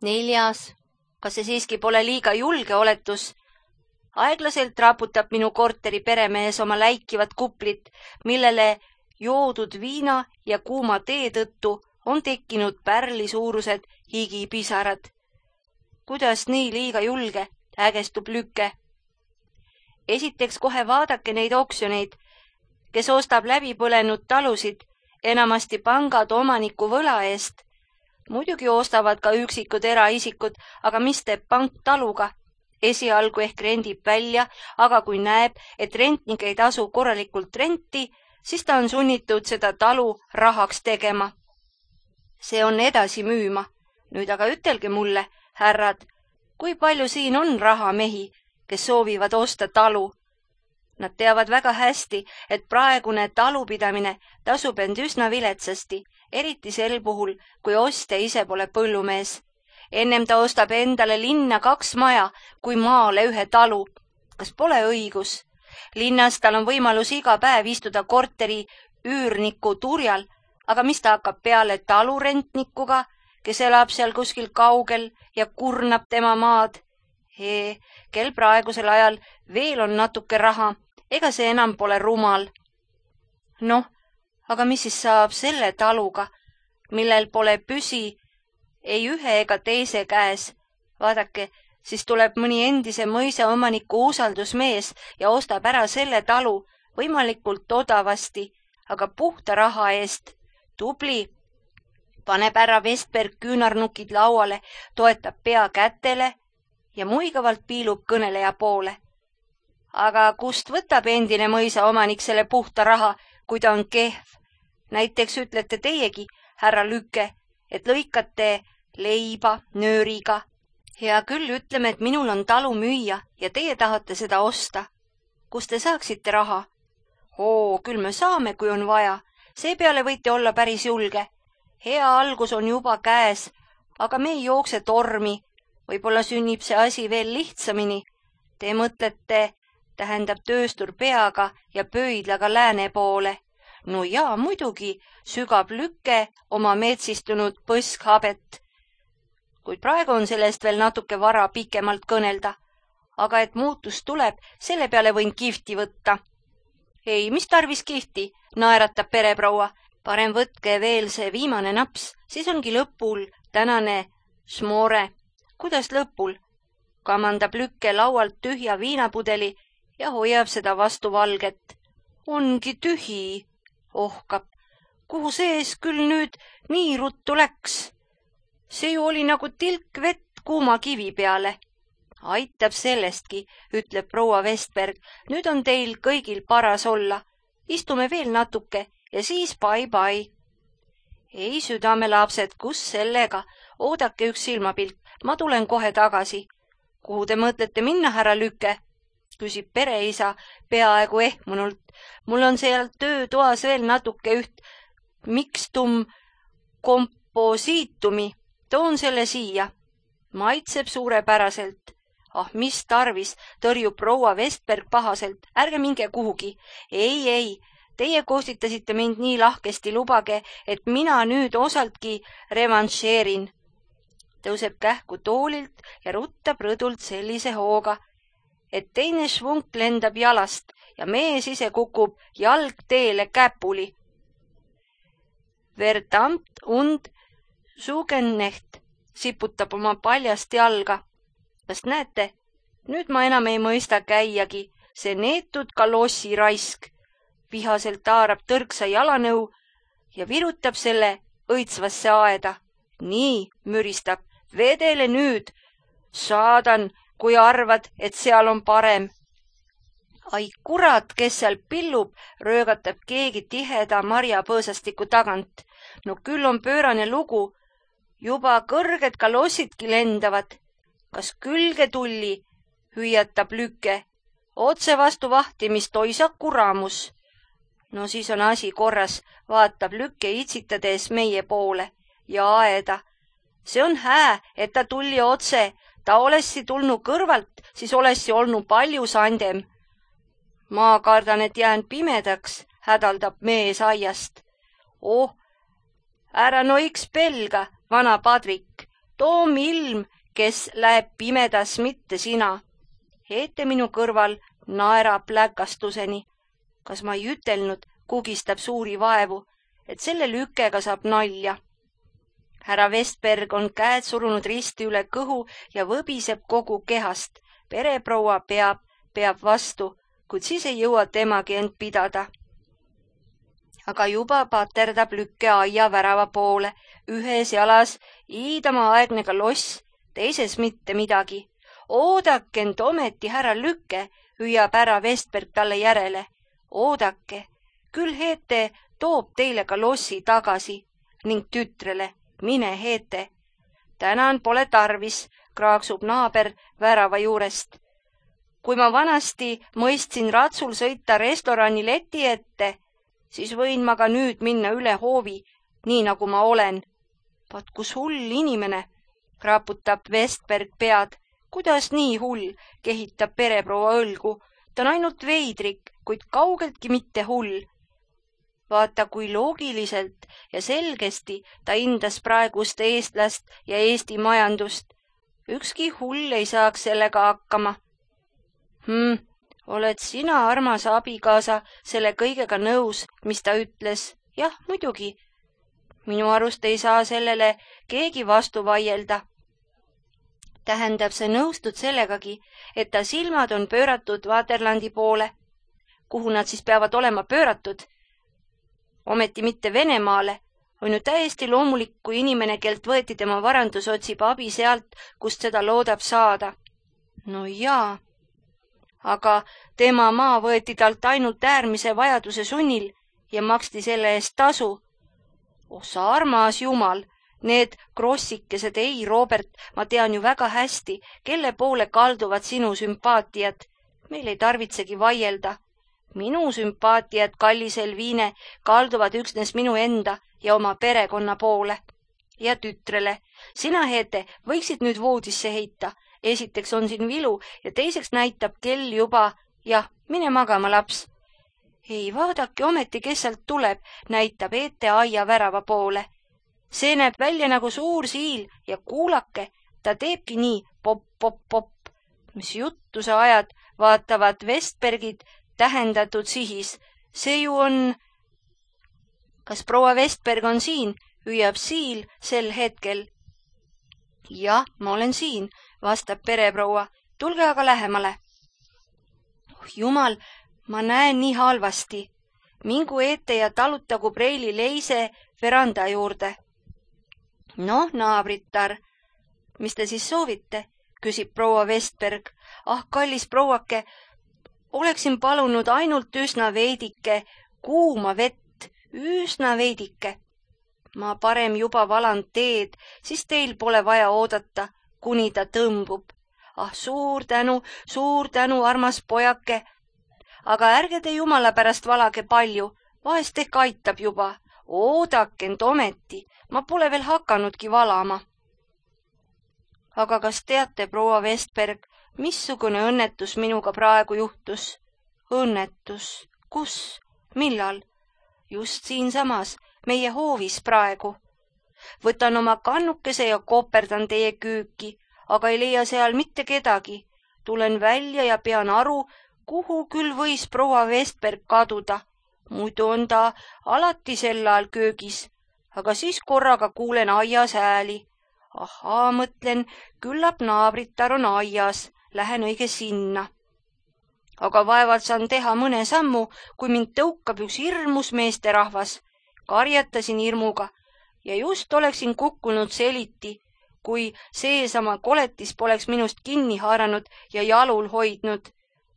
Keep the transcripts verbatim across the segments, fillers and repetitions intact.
Neljas. Kas see siiski pole liiga julge oletus? Aeglaselt raputab minu korteri peremees oma läikivat kuplit, millele joodud viina ja kuuma tee tõttu on tekkinud pärli suurused higipisarad. Kuidas nii liiga julge, ägestub Lükke. Esiteks kohe vaadake neid oksjoneid, kes ostab läbi põlenud talusid, enamasti pangad omaniku võla eest. Muidugi ostavad ka üksikud eraisikud, aga mis teeb pank taluga? Esialgu ehk rendib välja, aga kui näeb, et rentnik ei tasu korralikult renti, siis ta on sunnitud seda talu rahaks tegema. See on edasi müüma. Nüüd aga ütelge mulle, härrad, kui palju siin on rahamehi, kes soovivad osta talu? Nad teavad väga hästi, et praegune talupidamine tasub end üsna viletsasti, eriti sel puhul, kui ostja ise pole põllumees. Ennem ta ostab endale linna kaks maja, kui maale ühe talu. Kas pole õigus? Linnas tal on võimalus iga päev istuda korteri üürniku turjal, aga mis ta hakkab peale talurentnikuga, kes elab seal kuskil kaugel ja kurnab tema maad? Hee, kel praegusel ajal veel on natuke raha, ega see enam pole rumal. Noh, aga mis siis saab selle taluga, millel pole püsi ei ühe ega teise käes? Vaadake, siis tuleb mõni endise mõisa omaniku usaldusmees ja ostab ära selle talu võimalikult odavasti, aga puhta raha eest. Tubli. Paneb ära Vestberg küünarnukid lauale, toetab pea kätele ja muigavalt piilub kõneleja poole. Aga kust võtab endine mõisa omanik selle puhta raha, kui ta on kehv? Näiteks ütlete teiegi, härra Lükke, et lõikate leiba nööriga. Hea küll, ütleme, et minul on talu müüa ja teie tahate seda osta. Kust te saaksite raha? Oo, küll me saame, kui on vaja. Seepeale võite olla päris julge. Hea algus on juba käes, aga me ei jookse tormi. Võib-olla sünnib see asi veel lihtsamini. Te mõtlete, tähendab tööstur peaga ja pöidlaga lääne poole. No jaa, muidugi, sügab Lükke oma metsistunud põskhabet. Kuid praegu on sellest veel natuke vara pikemalt kõnelda. Aga et muutus tuleb, selle peale võin kihvti võtta. Ei, mis tarvis kihvti, naeratab pereproua. Parem võtke veel see viimane naps, siis ongi lõpul tänane šmore. Kuidas lõpul? Kamandab Lükke laualt tühja viinapudeli ja hoiab seda vastu valget. Ongi tühi, ohkab. Kuhu sees küll nüüd nii ruttu läks? See ju oli nagu tilk vett kuuma kivi peale. Aitab sellestki, ütleb proua Vestberg. Nüüd on teil kõigil paras olla. Istume veel natuke ja siis bye-bye. Ei, südamelapsed, kus sellega? Oodake üks silmapilk, ma tulen kohe tagasi. Kuhu te mõtlete minna, härra Lükke? Küsib pereisa peaaegu ehmunult. Mul on seal töötoas veel natuke üht mikstum komposiitumi. Toon selle siia. Maitseb suurepäraselt. Ah, mis tarvis, tõrjub proua Vestberg pahaselt. Ärge minge kuhugi. Ei, ei, teie kostitasite mind nii lahkesti, lubage, et mina nüüd osaltki revanšeerin. Tõuseb kähku toolilt ja ruttab rõdult sellise hooga, et teine švunk lendab jalast ja mees ise kukub jalgteele käpuli. Verdammt und Sugennecht siputab oma paljast jalga. Kas näete? Nüüd ma enam ei mõista käiagi, see neetud kalossi raisk. Vihaselt taarab tõrksa jalanõu ja virutab selle õitsvasse aeda. Nii, müristab, vedele nüüd. Saadan, kui arvad, et seal on parem. Ai kurat, kes seal pillub, röögatab keegi tiheda marjapõõsastiku tagant. No küll on pöörane lugu. Juba kõrged kalossidki lendavad. Kas külge tulli, hüüatab Lükke. Otse vastu vahtimist oisa kuramus. No siis on asi korras, vaatab Lükke itsitades meie poole ja aeda. See on hää, et ta tulli otse. Ta olessi tulnud kõrvalt, siis olessi olnud palju sandem. Ma kardan, et jään pimedaks, hädaldab mees aiast. Oh, ära no iks pelga, vana padvik. Toom ilm, kes läheb pimedas, mitte sina. Heete minu kõrval naerab läkastuseni. Kas ma ei ütelnud, kugistab suuri vaevu, et selle lükega saab nalja. Härra Vestberg on käed surunud risti üle kõhu ja võbiseb kogu kehast. Pereproua peab, peab vastu, kuid siis ei jõua temagi end pidada. Aga juba paterdab lükke aia värava poole, ühes jalas iidama aegne kaloss, teises mitte midagi. Oodake end ometi, härra Lükke, hüüab härra Vestberg talle järele. Oodake, küll Heete toob teile kalossi tagasi ning tütrele, mine Heete. Tänan pole tarvis, kraaksub naaber värava juurest. Kui ma vanasti mõistsin ratsul sõita restorani leti ette, siis võin ma ka nüüd minna üle hoovi, nii nagu ma olen. Vaat kus hull inimene, raputab Vestberg pead. Kuidas nii hull, kehitab pereproua õlgu. Ta on ainult veidrik, kuid kaugeltki mitte hull. Vaata, kui loogiliselt ja selgesti ta hindas praegust eestlast ja Eesti majandust. Ükski hull ei saaks sellega hakkama. Hmm, oled sina, armas abikaasa, selle kõigega nõus, mis ta ütles? Jah, muidugi. Minu arust ei saa sellele keegi vastu vaielda. Tähendab, see nõustud sellegagi, et ta silmad on pööratud Vaterlandi poole. Kuhu nad siis peavad olema pööratud? Ometi mitte Venemaale. On ju täiesti loomulik, kui inimene, kelt võeti tema varandus, otsib abi sealt, kust seda loodab saada. No jaa. Aga tema maa võeti talt ainult äärmise vajaduse sunnil ja maksti selle eest tasu. Oh, sa armas jumal! Need krossikesed, ei, Robert, ma tean ju väga hästi, kelle poole kalduvad sinu sümpaatiad. Meil ei tarvitsegi vaielda. Minu sümpaatiad, kallis Elviine, kalduvad üksnes minu enda ja oma perekonna poole. Ja tütrele, sina, Heete, võiksid nüüd voodisse heita. Esiteks on siin vilu ja teiseks näitab kell juba. Jah, mine magama, laps. Ei, vaadake ometi, kes sealt tuleb, näitab Heete aia värava poole. See näeb välja nagu suur siil ja kuulake, ta teebki nii pop, pop, pop. Mis juttu sa ajad, vaatavad Vestbergid tähendatud sihis. See ju on... Kas proua Vestberg on siin, hüüab siil sel hetkel. Jah, ma olen siin, vastab pereproua. Tulge aga lähemale. Oh, jumal, ma näen nii halvasti. Mingu ette ja talutagu preili leise veranda juurde. Noh, naabritar, mis te siis soovite, küsib proua Vestberg. Ah, kallis prouake, oleksin palunud ainult üsna veidike kuuma vett, üsna veidike. Ma parem juba valan teed, siis teil pole vaja oodata, kuni ta tõmbub. Ah, suur tänu, suur tänu, armas pojake. Aga ärge te jumala pärast valage palju, vahest ehk aitab juba. Oodake end ometi, ma pole veel hakanudki valama. Aga kas teate, proua Vestberg, missugune õnnetus minuga praegu juhtus? Õnnetus? Kus? Millal? Just siinsamas, meie hoovis praegu. Võtan oma kannukese ja koperdan teie küüki, aga ei leia seal mitte kedagi. Tulen välja ja pean aru, kuhu küll võis proua Vestberg kaduda. Muidu on ta alati sel ajal köögis, aga siis korraga kuulen aias hääli. Ahaa, mõtlen, küllap naabritar on aias, lähen õige sinna. Aga vaevalt saan teha mõne sammu, kui mind tõukab üks hirmus meesterahvas. Karjatasin hirmuga ja just oleksin kukkunud seliti, kui seesama koletis poleks minust kinni haaranud ja jalul hoidnud.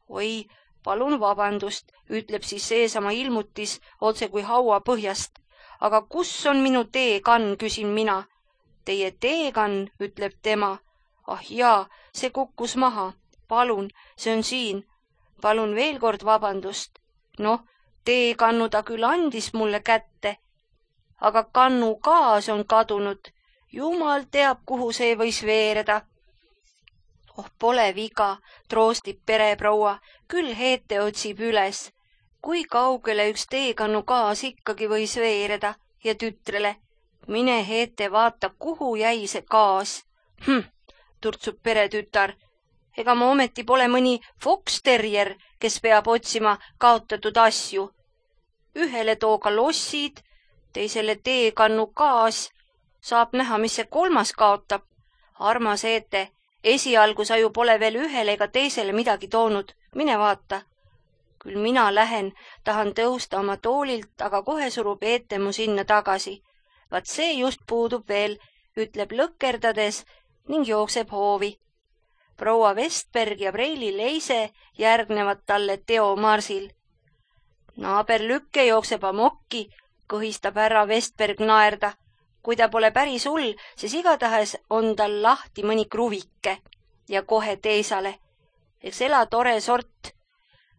Oi, palun vabandust, ütleb siis seesama ilmutis otse kui haua põhjast. Aga kus on minu teekann, küsin mina. Teie teekann, ütleb tema. Ah jaa, see kukkus maha. Palun, see on siin. Palun veel kord vabandust. Noh, teekannu ta küll andis mulle kätte, aga kannu kaas on kadunud. Jumal teab, kuhu see võis veereda. Oh, pole viga, troostib pereproua, küll Heete otsib üles. Kui kaugele üks teekannu kaas ikkagi võis veereda ja tütrele. Mine Heete, vaata, kuhu jäi see kaas. Hm, turtsub peretütar. Ega ma ometi pole mõni Fox-terrier, kes peab otsima kaotatud asju. Ühele tooga lossid, teisele teekannu gaas. Saab näha, mis see kolmas kaotab. Armas Eete, esialgu sa ju pole veel ühele ega teisele midagi toonud. Mine vaata. Küll mina lähen, tahan tõusta oma toolilt, aga kohe surub Eete mu sinna tagasi. Vaat see just puudub veel, ütleb lõkkerdades ning jookseb hoovi. Proua Vestberg ja Preili Leise järgnevad talle teomarsil. Naaber Lükke jookseb amokki, kõhistab härra Vestberg naerda. Kui ta pole päris hull, siis igatahes on tal lahti mõni kruvike ja kohe teisale. Eks ela tore sort.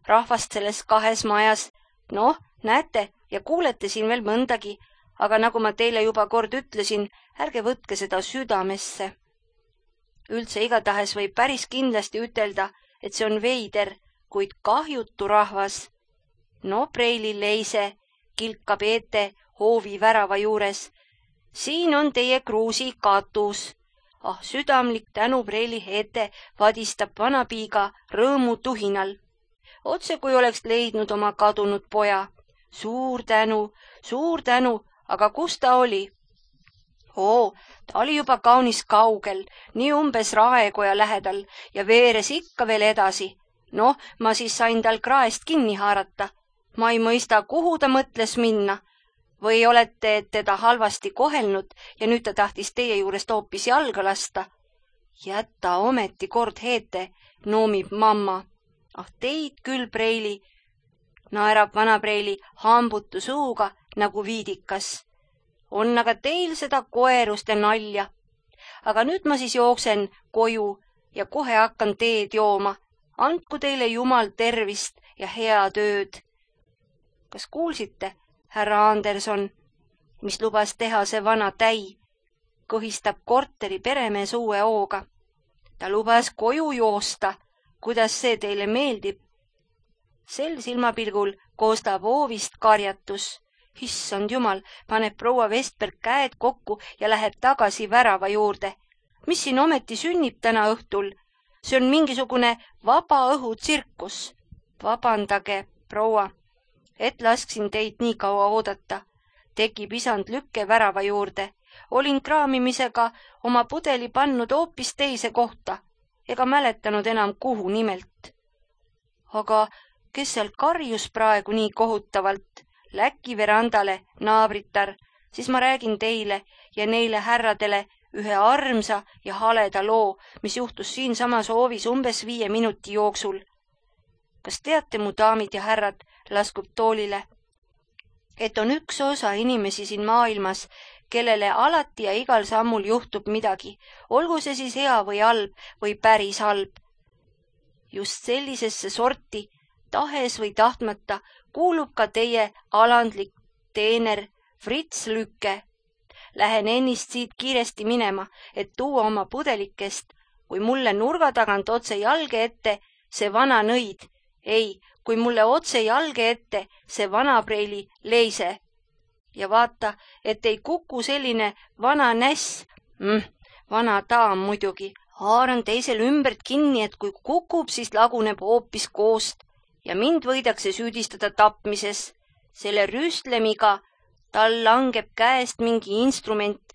Rahvast selles kahes majas. Noh, näete ja kuulete siin veel mõndagi, aga nagu ma teile juba kord ütlesin, ärge võtke seda südamesse. Üldse igatahes võib päris kindlasti ütelda, et see on veider, kuid kahjutu rahvas. No, Preili Leise, kilkab Eete hoovi värava juures. Siin on teie kruusi katus. Ah, südamlik tänu, Preili Eete, vadistab vanapiiga rõõmu tuhinal. Otse kui oleks leidnud oma kadunud poja. Suur tänu, suur tänu, aga kus ta oli? Oo, ta oli juba kaunis kaugel, nii umbes Raekoja lähedal ja veeres ikka veel edasi. Noh, ma siis sain tal kraest kinni haarata. Ma ei mõista, kuhu ta mõtles minna. Või olete teda halvasti kohelnud ja nüüd ta tahtis teie juurest hoopis jalga lasta? Jäta ometi kord Eete, noomib mamma. Ah, teid küll, Preili, naerab vana Preili hambutu suuga nagu viidikas. On aga teil seda koerust ja nalja. Aga nüüd ma siis jooksen koju ja kohe hakkan teed jooma. Andku teile Jumal tervist ja hea tööd. Kas kuulsite, härra Anderson, mis lubas teha see vana täi? Kõhistab korteri peremees uue hooga. Ta lubas koju joosta. Kuidas see teile meeldib? Sel silmapilgul koostab hoovist karjatus. Issand jumal, paneb proua Vestberg käed kokku ja läheb tagasi värava juurde. Mis siin ometi sünnib täna õhtul? See on mingisugune vaba õhu tsirkus. Vabandage, proua, et lasksin teid nii kaua oodata. Tekib isand Lükke värava juurde. Olin kraamimisega oma pudeli pannud hoopis teise kohta. Ega mäletanud enam kuhu nimelt. Aga kes seal karjus praegu nii kohutavalt? Läki verandale, naabritar, siis ma räägin teile ja neile härradele ühe armsa ja haleda loo, mis juhtus siin samas hoovis umbes viie minuti jooksul. Kas teate, mu daamid ja härrad, laskub toolile, et on üks osa inimesi siin maailmas, kellele alati ja igal sammul juhtub midagi, olgu see siis hea või halb või päris halb. Just sellisesse sorti, tahes või tahtmata, kuulub ka teie alandlik teener Fritz Lükke. Lähen ennist siit kiiresti minema, et tuua oma pudelikest, kui mulle nurga tagant otse jalge ette see vana nõid. Ei, kui mulle otse jalge ette see vana Preili Leise. Ja vaata, et ei kuku selline vana näss, mm, vana daam muidugi. Haaran teisel ümbert kinni, et kui kukub, siis laguneb hoopis koost ja mind võidakse süüdistada tapmises. Selle rüstlemiga tal langeb käest mingi instrument,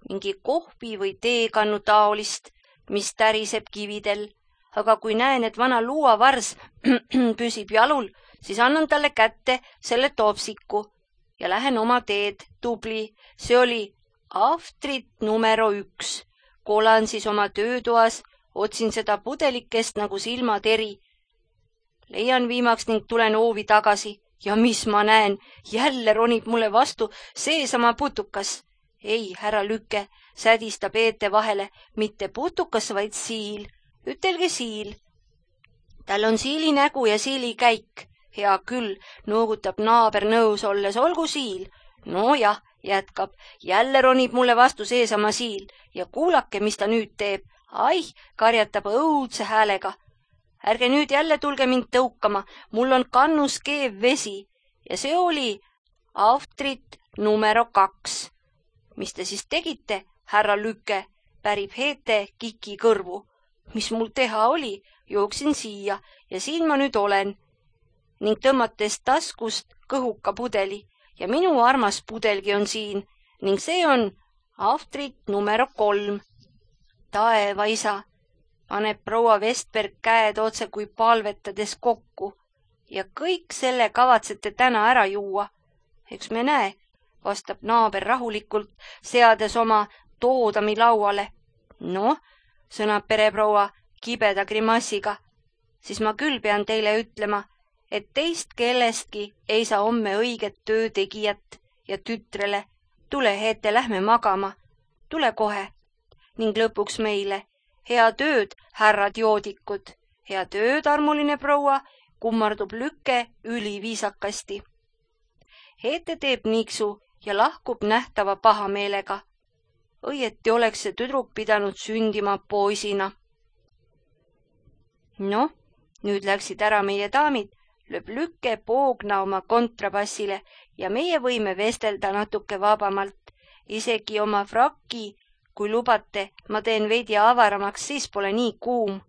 mingi kohvi või teekannu taolist, mis täriseb kividel. Aga kui näen, et vana luuavars püsib jalul, siis annan talle kätte selle topsiku ja lähen oma teed, tubli. See oli Aftrit numero üks. Kolan siis oma töötoas, otsin seda pudelikest nagu silmateri. Leian viimaks ning tulen hoovi tagasi. Ja mis ma näen, jälle ronib mulle vastu seesama putukas. Ei, härra Lükke, sädistab Eete vahele, mitte putukas, vaid siil. Ütelge siil. Tal on siili nägu ja siili käik. Hea küll, noogutab naaber nõus olles, olgu siil. No jah, jätkab, jälle ronib mulle vastu seesama siil ja kuulake, mis ta nüüd teeb. Ai, karjatab õudse häälega. Ärge nüüd jälle tulge mind tõukama, mul on kannus keev vesi ja see oli Aftrit numero kaks. Mis te siis tegite, härra Lükke? pärib Heete Kiki kõrvu. Mis mul teha oli, jooksin siia ja siin ma nüüd olen. Ning tõmmates taskust kõhuka pudeli ja minu armas pudelgi on siin ning see on Aftrit numero kolm. Taeva isa, paneb proua Vestberg käed otse kui palvetades kokku. Ja kõik selle kavatsete täna ära juua. Eks me näe, vastab naaber rahulikult, seades oma toodami lauale. No, sõnab pereproua kibeda grimassiga, siis ma küll pean teile ütlema, et teist kellestki ei saa homme õiget töötegijat ja tütrele. Tule, Heete, lähme magama. Tule kohe. Ning lõpuks meile. Hea tööd, härrad joodikud. Hea tööd, armuline proua, kummardub Lükke üliviisakasti. Heete teeb niiksu ja lahkub nähtava pahameelega. Õieti oleks see tüdruk pidanud sündima poisina. No, nüüd läksid ära meie daamid, lööb Lükke poogna oma kontrabassile ja meie võime vestelda natuke vabamalt. Isegi oma frakki, kui lubate, ma teen veidi avaramaks, siis pole nii kuum.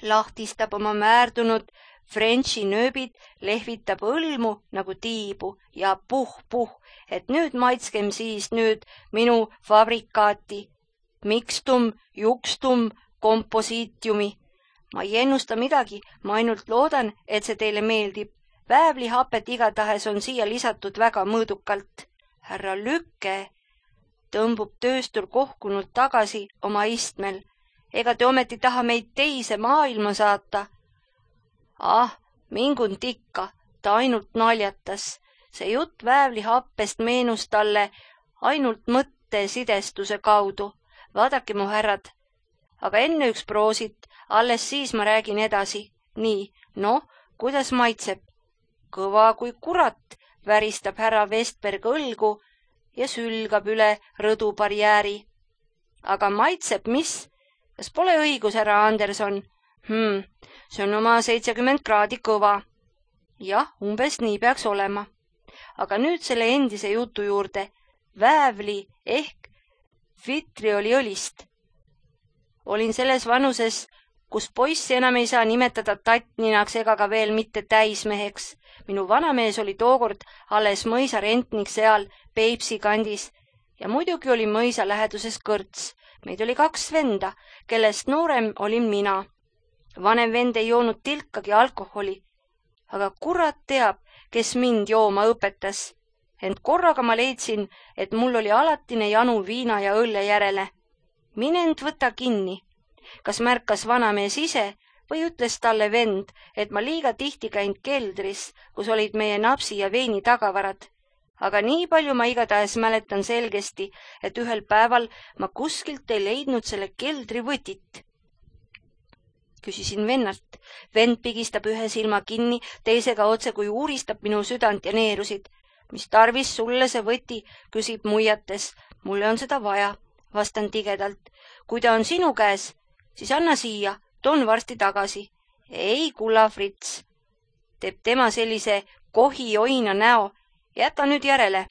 Lahtistab oma määrdunud Frenchi nööbid, lehvitab õlmu nagu tiibu ja puh-puh, et nüüd maitskem siis nüüd minu fabrikaati. Mikstum, jukstum, komposiitiumi. Ma ei ennusta midagi, ma ainult loodan, et see teile meeldib. Väävlihapet igatahes on siia lisatud väga mõõdukalt. Härra Lükke tõmbub tööstur kohkunud tagasi oma istmel. Ega te ometi taha meid teise maailma saata? Ah, mingun tikka, ta ainult naljatas. See jutt väävlihappest meenus talle ainult mõtte sidestuse kaudu. Vaadake, mu härrad. Aga enne üks proosit, alles siis ma räägin edasi. Nii, no, kuidas maitseb? Kõva kui kurat, väristab härra Vestberg õlgu ja sülgab üle rõdubarjääri. Aga maitseb mis? Kas pole õigus, härra Anderson? Hmm, see on oma seitsekümmend kraadi kõva. Jah, umbes nii peaks olema. Aga nüüd selle endise jutu juurde. Väävli ehk vitrioliõlist. Olin selles vanuses, kus poissi enam ei saa nimetada tattninaks ega ka veel mitte täismeheks. Minu vanamees oli tookord alles mõisa rentnik seal Peipsi kandis ja muidugi oli mõisa läheduses kõrts. Meid oli kaks venda, kellest noorem olin mina. Vanem vend ei joonud tilkagi alkoholi, aga kurat teab, kes mind jooma õpetas. Ent korraga ma leidsin, et mul oli alatine janu viina ja õlle järele. Minend võta kinni. Kas märkas vanamees ise või ütles talle vend, et ma liiga tihti käinud keldris, kus olid meie napsi ja veini tagavarad. Aga nii palju ma igatahes mäletan selgesti, et ühel päeval ma kuskilt ei leidnud selle keldri võtit. Küsisin vennalt. Vend pigistab ühe silma kinni, teisega otse kui uuristab minu südant ja neerusid. Mis tarvis sulle see võti, küsib muiates. Mulle on seda vaja, vastan tigedalt. Kui ta on sinu käes, siis anna siia, toon varsti tagasi. Ei, kulla Frits, teeb tema sellise kohi oina näo. Jäta nüüd järele.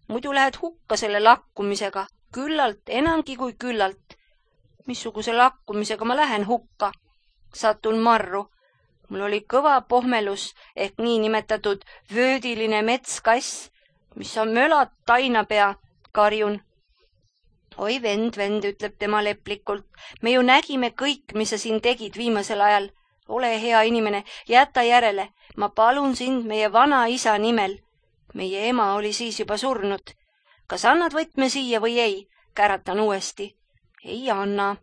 Muidu lähed hukka selle lakkumisega. Küllalt, enamgi kui küllalt. Missuguse lakkumisega ma lähen hukka? Satun marru. Mul oli kõva pohmelus ehk nii nimetatud vöödiline metskass, mis on mölat tainapea, karjun. Oi vend, vend, ütleb tema leplikult. Me ju nägime kõik, mis sa siin tegid viimasel ajal. Ole hea inimene, jäta järele. Ma palun sind meie vana isa nimel. Meie ema oli siis juba surnud. Kas annad võtme siia või ei? Käratan uuesti. Ei anna,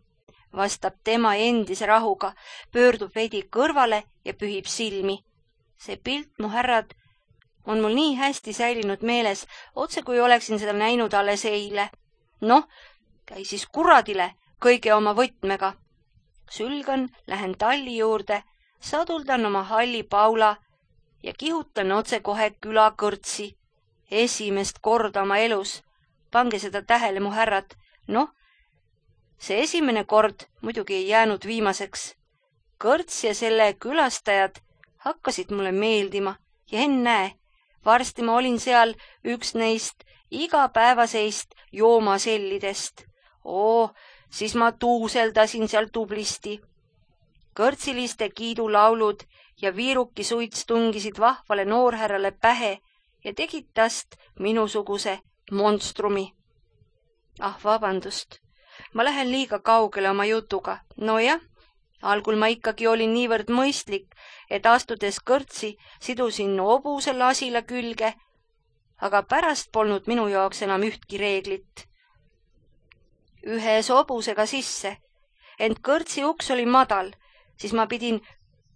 vastab tema endise rahuga, pöördub veidi kõrvale ja pühib silmi. See pilt, mu härrad, on mul nii hästi säilinud meeles, otse kui oleksin seda näinud alles eile. Noh, käi siis kuradile kõige oma võtmega. Sülgan, lähen talli juurde, saduldan oma halli paula ja kihutan otse kohe külakõrtsi. Esimest korda oma elus. Pange seda tähele, mu härrad. Noh, see esimene kord muidugi ei jäänud viimaseks. Kõrts ja selle külastajad hakkasid mulle meeldima ja ennäe, varsti ma olin seal üks neist igapäevaseist joomasellidest. Oo, siis ma tuuseldasin seal tublisti. Kõrtsiliste kiidulaulud ja viiruki suits tungisid vahvale noorhärrale pähe ja tegid tast minusuguse monstrumi. Ah, vabandust, ma lähen liiga kaugele oma jutuga. No jah, algul ma ikkagi olin niivõrd mõistlik, et astudes kõrtsi sidusin hobuse lasile külge, aga pärast polnud minu jaoks enam ühtki reeglit. Ühes hobusega sisse, ent kõrtsi uks oli madal, siis ma pidin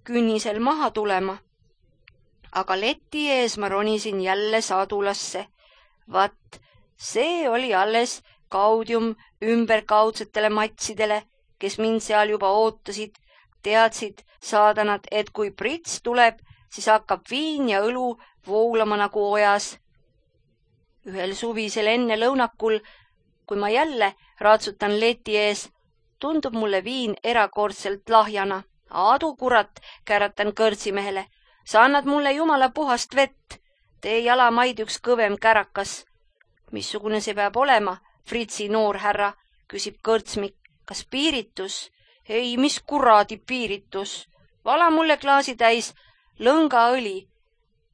künnisel maha tulema. Aga leti ees ma ronisin jälle sadulasse. Vat, see oli alles kaudium ümberkaudsetele matsidele, kes mind seal juba ootasid, teadsid saadanad, et kui prits tuleb, siis hakkab viin ja õlu voolama nagu ojas. Ühel suvisel enne lõunakul, kui ma jälle ratsutan leti ees, tundub mulle viin erakordselt lahjana. Aadu kurat, käratan kõrtsimehele. Sa annad mulle jumala puhast vett. Tee jalamaid üks kõvem kärakas. Missugune see peab olema, Fritsi noorhärra, küsib kõrtsmik. Kas piiritus? Ei, mis kuradi piiritus. Vala mulle klaasi täis lõngaõli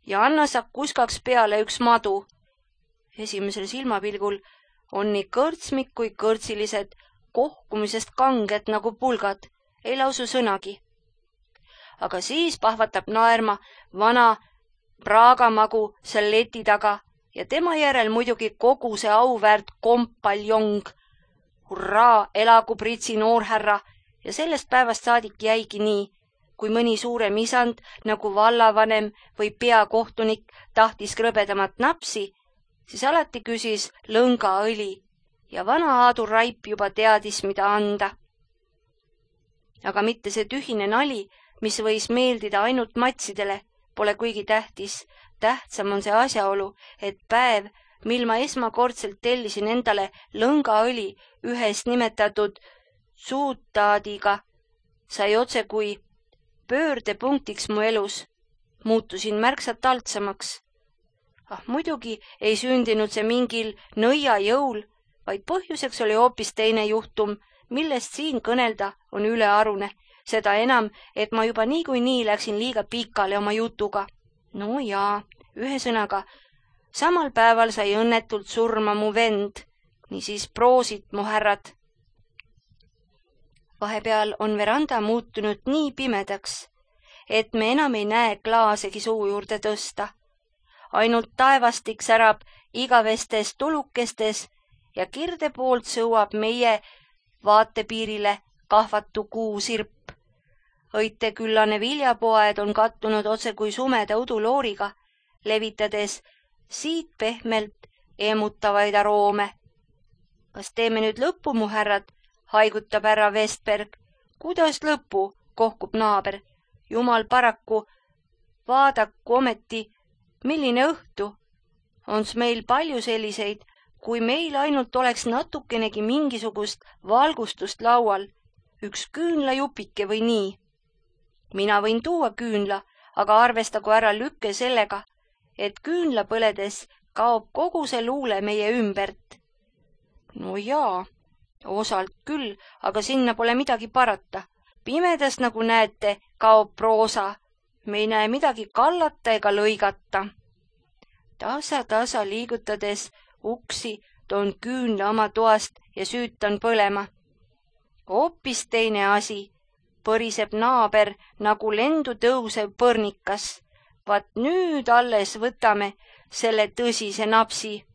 ja anna sa kuskaks peale üks madu. Esimesel silmapilgul on nii kõrtsmik kui kõrtsilised kohkumisest kanged nagu pulgad, ei lausu sõnagi. Aga siis pahvatab naerma vana praagamagu seal leti taga ja tema järel muidugi kogu see auväärt kompaljong. Hurraa, elagu Pritsi noorhärra ja sellest päevast saadik jäigi nii, kui mõni suurem isand nagu vallavanem või peakohtunik tahtis krõbedamat napsi, siis alati küsis lõngaõli ja vana Aadu Raip juba teadis, mida anda. Aga mitte see tühine nali, mis võis meeldida ainult matsidele, pole kuigi tähtis. Tähtsam on see asjaolu, et päev, mil ma esmakordselt tellisin endale lõngaõli ühest nimetatud suutaadiga, sai otse kui pöördepunktiks mu elus. Muutusin märksa taltsamaks. Ah, muidugi ei sündinud see mingil nõia jõul, vaid põhjuseks oli hoopis teine juhtum, millest siin kõnelda on ülearune. Seda enam, et ma juba niikuinii läksin liiga pikale oma jutuga. No jaa, ühe sõnaga, samal päeval sai õnnetult surma mu vend, niisiis proosit, mu härrad. Vahepeal on veranda muutunud nii pimedaks, et me enam ei näe klaasegi suu juurde tõsta. Ainult taevastik särab igavestes tulukestes ja kirde poolt sõuab meie vaatepiirile kahvatu kuusirp. Õiteküllane viljapoed on kattunud otse kui sumeda udulooriga, levitades siit pehmelt eemutavaid aroome. Kas teeme nüüd lõppu, mu härrad, haigutab härra Vestberg. Kuidas lõppu, kohkub naaber. Jumal paraku, vaadaku ometi, milline õhtu. Ons meil palju selliseid, kui meil ainult oleks natukenegi mingisugust valgustust laual, üks küünlajupike või nii. Mina võin tuua küünla, aga arvestagu ära lükke sellega, et küünla põledes kaob kogu see luule meie ümbert. No jaa, osalt küll, aga sinna pole midagi parata. Pimedas, nagu näete, kaob proosa. Me ei näe midagi kallata ega lõigata. Tasa-tasa liigutades uksi toon küünla oma toast ja süütan põlema. Hoopis teine asi. Põriseb naaber nagu lendu tõusev põrnikas. Vaat nüüd alles võtame selle tõsise napsi.